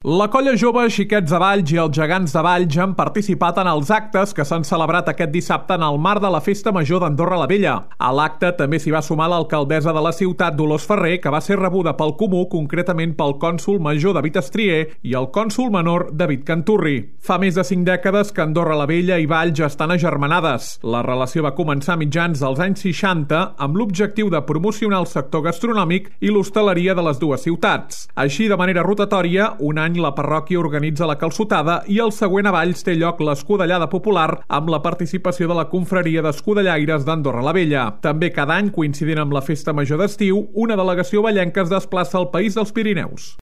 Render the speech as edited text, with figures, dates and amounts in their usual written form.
La colla jove Xiquets de Valls i els Gegants de Valls han participat en els actes que s'han celebrat aquest dissabte en el marc de la Festa Major d'Andorra la Vella. A l'acte també s'hi va sumar l'alcaldessa de la ciutat, Dolors Ferrer, que va ser rebuda pel Comú, concretament pel cònsol major David Estrier i el cònsol menor David Canturri. Fa més de 5 dècades que Andorra la Vella i Valls estan agermanades. La relació va començar a mitjans dels anys 60 amb l'objectiu de promocionar el sector gastronòmic i l'hostaleria de les dues ciutats. Així, de manera rotatòria, un any la parròquia organitza la calçotada i el següent a Valls té lloc l'escudellada popular amb la participació de la confraria d'escudellaires d'Andorra la Vella. També cada any, coincidint amb la Festa Major d'estiu, una delegació vallenca es desplaça al País dels Pirineus.